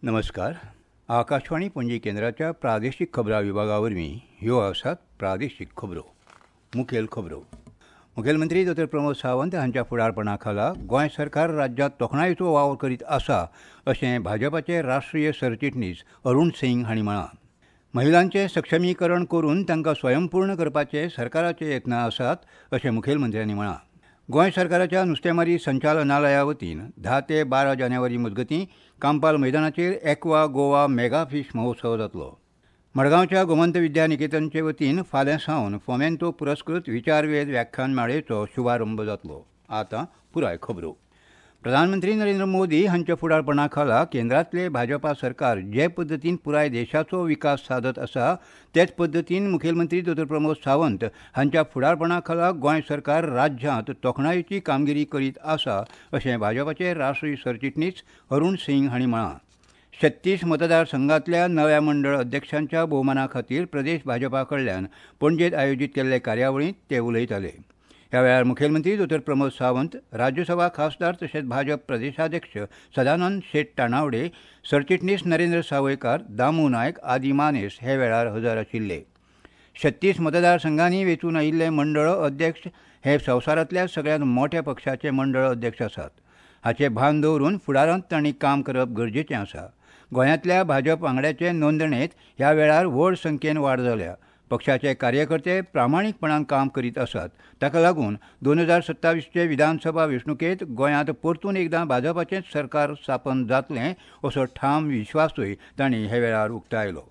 नमस्कार. आकाशवाणी पणजी केंद्राच्या प्रादेशीक खबरां विभागा वरवीं ह्यो आसात प्रादेशीक खबरो. मुखेल खबरो. मुखेलमंत्री डॉ. प्रमोद सावंत हांच्या फुडारपणा खाला गोंय सरकार राज्यांत तोखणायेचो वावर करीत आसा अशें भाजपाचे राष्ट्रीय सरचिटणीस अरुण सिंग हांणी म्हळां. महिलांचें सक्षमीकरण करून तांकां स्वयंपूर्ण करपाचे सरकाराचे यत्न आसात अशें मुखेलमंत्र्यांनी म्हळां. गोंय सरकाराच्या नुस्तेमारी संचालनालया वतीन 10 ते 12 जानेवारी मजगतीं कांपाल मैदानाचेर एक्वा गोवा मेगा फिश महोत्सव जातलो. मडगांवच्या गोमंत विद्या निकेतनचे वतीन फाल्यां सावन फोमेंतो पुरस्कृत विचारवेद व्याख्यान माळेचो शुभारंभ जातलो. आतां पुराय खबरो. प्रधानमंत्री नरेंद्र मोदी हांच्या फुडारपणा खाला केंद्रांतले भाजपा सरकार जे पद्दतीन पुराय देशाचो विकास सादत आसा तेच पद्दतीन मुखेलमंत्री डॉ. प्रमोद सावंत हांच्या फुडारपणा खाला गोंय सरकार राज्यांत तोखणायेची कामगिरी करीत आसा अशें भाजपाचे राष्ट्रीय सरचिटणीस अरुण सिंग हांणी म्हळां. 36 मतदारसंघांतल्या नव्या मंडळ अध्यक्षांच्या भोवमाना खातीर प्रदेश भाजपा कडल्यान पणजेंत आयोजीत केल्ले कार्यावळींत ते उलयताले. ह्या वेळार मुखेलमंत्री डॉ. प्रमोद सावंत, राज्यसभा खासदार तशेंच भाजप प्रदेशाध्यक्ष सदानंद शेट तानावडे, सरचिटणीस नरेंद्र सावयकार, दामू नायक आदी मानेस हे वेळार हजर आशिल्ले. 36 मतदारसंघांनी वेंचून आयिल्ले मंडळ अध्यक्ष हे संवसारांतल्या सगळ्यांत मोट्या पक्षाचे मंडळ अध्यक्ष आसात. हाचें भान दवरून फुडारांत तांणी काम करप गरजेचें आसा. गोंयांतल्या भाजप वांगड्याचे नोंदणेंत ह्या वेळार व्हड संख्येन वाड जाल्या. पक्षाचे कार्यकर्ते प्रामाणीकपणान काम करीत आसात. ताका लागून 2027चे विधानसभा वेंचणुकेंत गोंयांत परतून एकदां भाजपाचेंच सरकार स्थापन जातलें असो ठाम विश्वासूय तांणी हे वेळार उक्तायलो.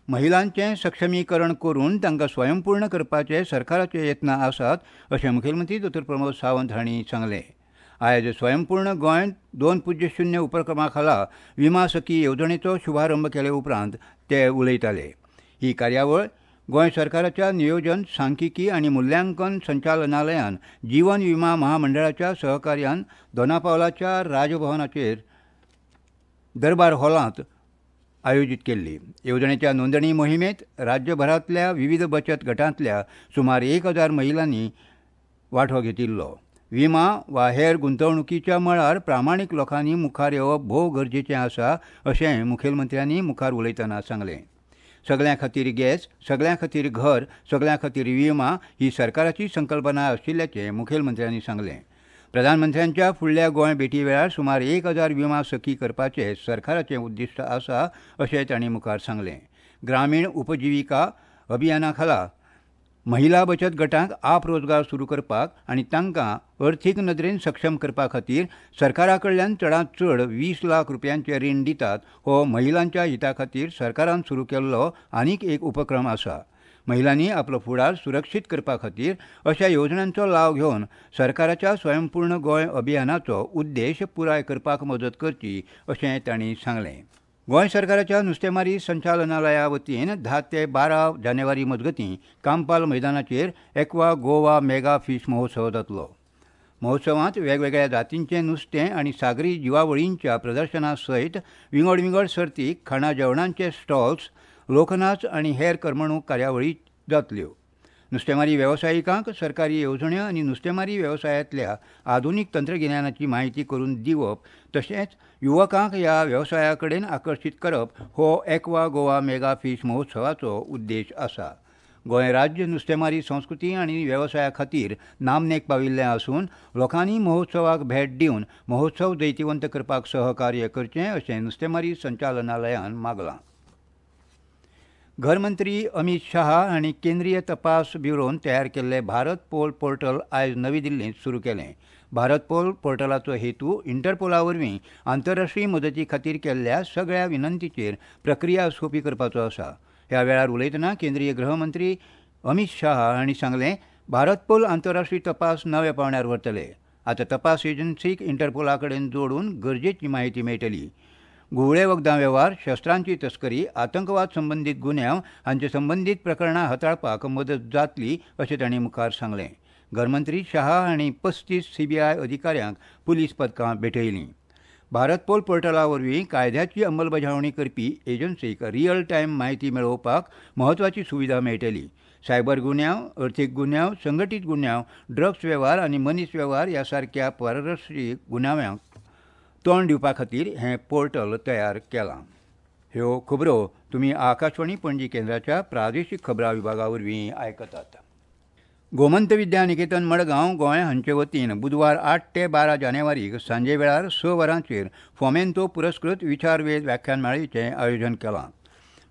महिलांचें सक्षमीकरण करून तांकां स्वयंपूर्ण करपाचे सरकाराचे यत्न आसात अशें मुखेलमंत्री डॉ. प्रमोद सावंत हांणी सांगलें. आयज स्वयंपूर्ण गोंय 2.0 उपक्रमा खाला विमा सखी येवजणेचो शुभारंभ केले उपरांत ते उलयताले. ही कार्यावळ गोंय सरकाराच्या नियोजन, सांख्यिकी आनी मुल्यांकन संचालनालयान जीवन विमा महामंडळाच्या सहकार्यान दोनापावलाच्या राजभवनाचेर दरबार हॉलांत आयोजीत केल्ली. येवजणेच्या नोंदणी मोहिमेंत राज्यभरांतल्या विविध बचत गटांतल्या सुमार 1000 महिलांनी वांटो घेतिल्लो. विमा वा हेर गुंतवणुकीच्या मळार प्रामाणीक लोकांनी मुखार येवप भोव गरजेचें आसा अशें मुखेलमंत्र्यांनी मुखार उलयतना सांगलें. सगळ्यां खातीर गॅस, सगळ्यां खातीर घर, सगळ्यां खातीर विमा ही सरकाराची संकल्पना आशिल्ल्याचें मुखेलमंत्र्यांनी सांगलें. प्रधानमंत्र्यांच्या फुडल्या गोंय भेटी वेळार सुमार 1000 विमा सखी करपाचें सरकाराचें उद्दिश्ट आसा अशें तांणी मुखार सांगलें. ग्रामीण उपजिविका अभियाना खाला महिला बचत गटांक आपरोजगार सुरू करपाक आनी तांकां अर्थीक नदरेन सक्षम करपा खातीर सरकारा कडल्यान चडांत चड 20 लाख रुपयांचें रीण दितात. हो महिलांच्या हिता खातीर सरकारान सुरू केल्लो आनीक एक उपक्रम आसा. महिलांनी आपलो फुडार सुरक्षीत करपा खातीर अशा येवजण्यांचो लाव घेवन सरकाराच्या स्वयंपूर्ण गोंय अभियानाचो उद्देश पुराय करपाक मदत करची अशें तांणी सांगलें. गोंय सरकाराच्या नुस्तेमारी संचालनालया वतीन 10 ते 12 जानेवारी मजगतीं कांपाल मैदानाचेर एक्वा गोवा मेगा फिश महोत्सव जातलो. महोत्सवांत वेगवेगळ्या जातींचें नुस्तें आनी सागरी जिवावळींच्या प्रदर्शना सयत विंगड विंगड सर्ती, खाणा जेवणांचे स्टॉल्स, लोकनाच आनी हेर करमणूक कार्यावळी जातल्यो. नुस्तेमारी वेवसायिकांक सरकारी येवजण्यो आनी नुस्तेमारी वेवसायांतल्या आधुनीक तंत्रगिन्यानाची म्हायती करून दिवप तशेंच युवकांक ह्या वेवसाया कडेन आकर्शीत करप हो एक्वा गोवा मेगा फिश महोत्सवाचो उद्देश आसा. गोंय राज्य नुस्तेमारी संस्कृती आनी वेवसाया खातीर नामनेक पाविल्लें आसून लोकांनी महोत्सवाक भेट दिवन महोत्सव जैतिवंत करपाक सहकार्य करचें अशें नुस्तेमारी संचालनालयान मागलां. घरमंत्री अमित शहा हांणी केंद्रीय तपास ब्युरोन तयार केल्ले भारत पोल पोर्टल आयज नवी दिल्लींत सुरू केलें. भारत पोल पोर्टलाचो हेतू इंटरपोला वरवीं आंतरराष्ट्रीय मदती खातीर केल्ल्या सगळ्या विनंतीचेर प्रक्रिया सोंपी करपाचो आसा. ह्या वेळार उलयतना केंद्रीय गृहमंत्री अमित शहा हांणी सांगलें, भारत पोल आंतरराष्ट्रीय तपास नव्या पांवड्यार व्हरतले. आतां तपास एजन्सीक इंटरपोला कडेन जोडून गरजेची म्हायती मेळटली. घुंवळे वखदां वेव्हार, शस्त्रांची तस्करी, आतंकवाद संबंदीत गुन्यांव हांचे संबंदीत प्रकरणां हाताळपाक मदत जातली अशें तांणी मुखार सांगलें. घरमंत्री शहा हांणी 35 सीबीआय अधिकाऱ्यांक पुलीस पदकां भेटयलीं. भारत पोल पोर्टला वरवीं कायद्याची अंमलबजावणी करपी एजन्सीक रियल टायम म्हायती मेळोवपाक म्हत्वाची सुविधा मेळटली. सायबर गुन्यांव, अर्थीक गुन्यांव, संघटीत गुन्यांव, ड्रग्स वेव्हार आनी मनीस वेव्हार ह्या सारक्या परराष्ट्रीय गुन्यांवांक तोंड दिवपा खातीर हें पोर्टल तयार केलां. ह्यो खबरो तुमी आकाशवाणी पणजी केंद्राच्या प्रादेशीक खबरां विभागा वरवीं आयकतात. गोमंत विद्या निकेतन मडगांव गोंय हांचे वतीन बुधवार 8 ते 12 जानेवारीक सांजे वेळार 6 वरांचेर फोमेंतो पुरस्कृत विचारवेद व्याख्यानमाळेचें आयोजन केलां.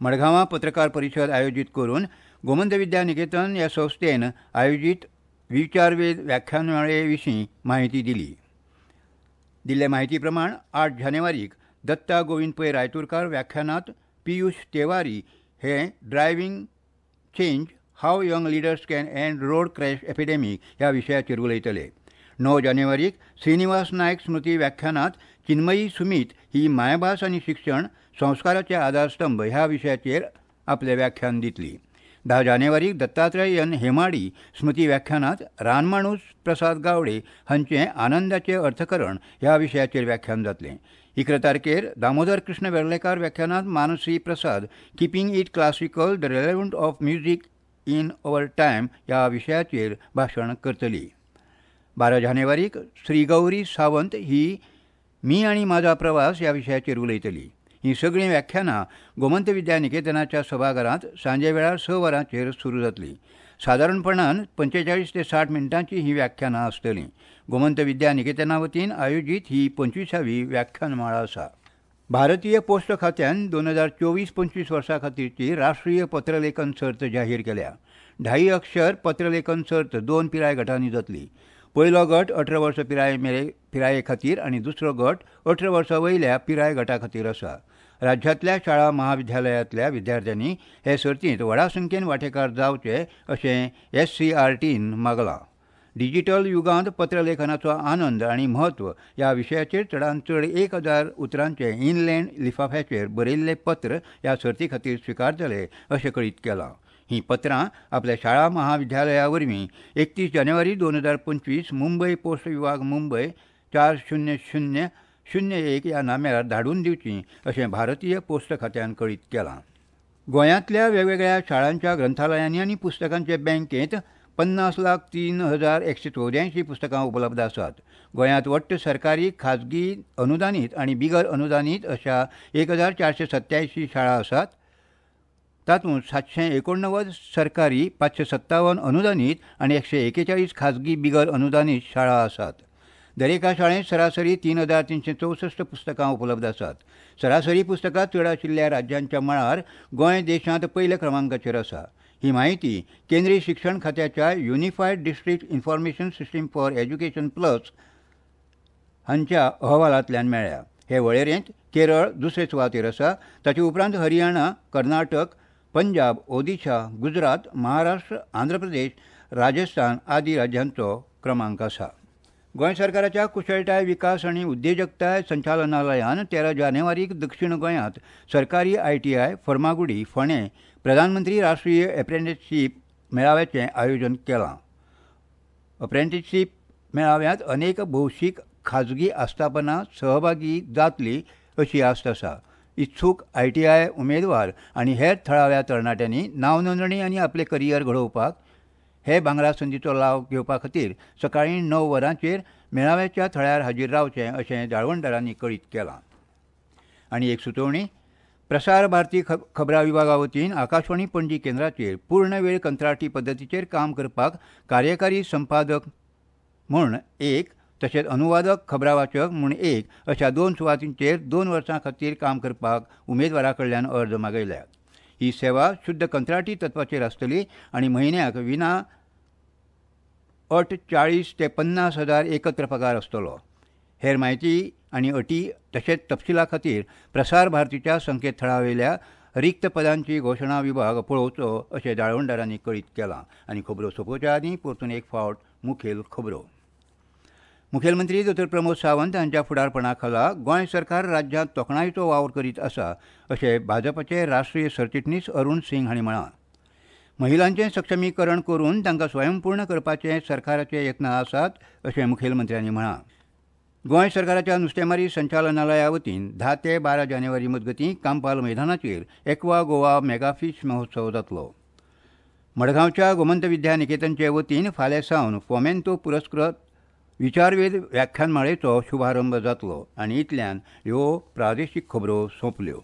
मडगांवां पत्रकार परिशद आयोजीत करून गोमंत विद्या निकेतन ह्या संस्थेन आयोजीत विचारवेद व्याख्यानमाळे विशीं म्हायती दिली. दिल्ले म्हायती प्रमाण 8 जानेवारीक दत्ता गोविंद पै रायतुरकार व्याख्यानांत पियुष तेवारी हे driving change how young leaders can end road crash epidemic ह्या विशयाचेर उलयतले. 9 जानेवारीक श्रीनिवास नायक स्मृती व्याख्यानांत चिन्मयी सुमीत ही मायभास आनी शिक्षण संस्काराचे आधारस्तंभ ह्या विशयाचेर आपलें व्याख्यान दितली. 10 जानेवारीक दत्तात्रय एन हेमाडी स्मृती व्याख्यानांत रानमाणूस प्रसाद गावडे हांचें आनंदाचें अर्थकरण ह्या विशयाचेर व्याख्यान जातलें. 11 तारखेर Damodar Krishna Verlekar व्याख्यानांत Mansi Prasad keeping it classical the relevant of music in our time ह्या विशयाचेर भाशण करतली. 12 जानेवारीक श्री गौरी सावंत ही मी आनी म्हाजा प्रवास ह्या विशयाचेर उलयतली. ही सगळीं व्याख्यानां गोमंत विद्या निकेतनाच्या सभाघरांत सांजे वेळार 6 वरांचेर सुरू जातली. सादारणपणान 45 ते 60 मिनटांची ही व्याख्यानां आसतलीं. गोमंत विद्या निकेतना वतीन आयोजीत ही 25वी व्याख्यानमाळा आसा. भारतीय पोस्ट खात्यान 2024-25 वर्सां खातीरची राष्ट्रीय पत्रलेखन सर्त जाहीर केल्या. 2.5 अक्षर पत्रलेखन सर्त 2 पिराय गटांनी जातली. पयलो गट 18 वर्सां पिराये खातीर आनी दुसरो गट 18 वर्सां वयल्या पिराय गटा खातीर आसा. राज्यांतल्या शाळा महाविद्यालयांतल्या विद्यार्थ्यांनी हे सर्तींत व्हडा संख्येन वांटेकार जावचे अशें SCRTन मागलां. डिजिटल युगांत पत्रलेखनाचो आनंद आनी म्हत्व ह्या विशयाचेर चडांत चड 1000 उतरांचे इनलँड लिफाफ्याचेर बरयिल्लें पत्र ह्या सर्ती खातीर स्विकारतले अशें कळीत केलां. ही पत्रां आपल्या शाळा महाविद्यालया वरवीं 31 जानेवारी 2025 मुंबय पोस्ट विभाग मुंबय 40001 ह्या नाम्यार धाडून दिवचीं अशें भारतीय पोस्ट खात्यान कळीत केलां. गोंयांतल्या वेगवेगळ्या शाळांच्या ग्रंथालयांनी आनी पुस्तकांचे बँकेंत 50,03,184 पुस्तकां उपलब्ध आसात. गोंयांत वट्ट सरकारी, खाजगी, अनुदानीत आनी बिगर अनुदानीत अशा 1487 शाळा आसात. तातूंत 789 सरकारी, 557 अनुदानीत आनी 141 खाजगी बिगर अनुदानीत शाळा आसात. दरेका शाळेंत सरासरी 3364 पुस्तकां उपलब्ध आसात. सरासरी पुस्तकां चड आशिल्ल्या राज्यांच्या मळार गोंय देशांत पयल्या क्रमांकाचेर आसा. ही म्हायती केंद्रीय शिक्षण खात्याच्या unified district information system for education plus हांच्या अहवालांतल्यान मेळ्ळ्या. हे वळेरेंत केरळ दुसरे सुवातेर आसा. ताचे उपरांत हरियाणा, कर्नाटक, पंजाब, ओदिशा, गुजरात, महाराष्ट्र, आंध्र प्रदेश, राजस्थान आदी राज्यांचो क्रमांक आसा. गोंय सरकाराच्या कुशळटाय विकास आनी उद्देजकताय संचालनालयान 13 जानेवारीक दक्षिण गोंयांत सरकारी ITI Farmagudi फोंडें प्रधानमंत्री राष्ट्रीय अप्रेंटिसशीप मेळाव्याचें आयोजन केलां. अप्रेंटिसशीप मेळाव्यांत अनेक भौशीक खाजगी आस्थापनां सहभागी जातली अशी आस्त आसा. इत्सूक ITI उमेदवार आनी हेर थळाव्या तरणाट्यांनी नांव नोंदणी आनी आपलें करियर घडोवपाक हे भांगरा संदीचो लाव घेवपा खातीर सकाळीं 9 वरांचेर मेळाव्याच्या थळार हाजीर रावचें अशें जाळवणदारांनी कळीत केलां. आनी एक सुचोवणी, प्रसार भारती खबरां विभागा वतीन आकाशवाणी पणजी केंद्राचेर पूर्ण वेळ कंत्राटी पद्दतीचेर काम करपाक कार्यकारी संपादक म्हूण 1 तशेंच अनुवादक खबरावाचक म्हूण 1 अशा 2 सुवातींचेर 2 वर्सां खातीर काम करपाक उमेदवारा कडल्यान अर्ज मागयल्यात. ही सेवा शुद्ध कंत्राटी तत्वाचेर आसतली आनी म्हयन्याक विना अट 40 ते 50 हजार एकत्र पगार आसतलो. हेर म्हायती आनी अटी तशेंच तपशिला खातीर प्रसार भारतीच्या संकेतथळावेल्या रिक्त पदांची घोशणा विभाग पळोवचो अशें जाळवणदारांनी कळीत केलां. आनी खबरो सोंपोवच्या आदीं परतून एक फावट मुखेल खबरो. मुखेलमंत्री डॉ प्रमोद सावंत हांच्या फुडारपणा खाला गोंय सरकार राज्यांत तोखणायेचो वावर करीत आसा अशें भाजपाचे राष्ट्रीय सरचिटणीस अरुण सिंग हांणी म्हळां. महिलांचें सक्षमीकरण करून तांकां स्वयंपूर्ण करपाचे सरकाराचे यत्न आसात अशें मुखेलमंत्र्यांनी म्हळां. गोंय सरकाराच्या नुस्तेमारी संचालनालया वतीन 10 ते 12 जानेवारी मजगतीं कांपाल मैदानाचेर एक्वा गोवा मेगाफीश महोत्सव जातलो. मडगांवच्या गोमंत विद्या निकेतनचे वतीन फाल्यां सावन फोमेंतो पुरस्कृत विचारवेध व्याख्यानमाळेचो शुभारंभ जातलो. आनी इतल्यान ह्यो प्रादेशीक खबरो सोंपल्यो.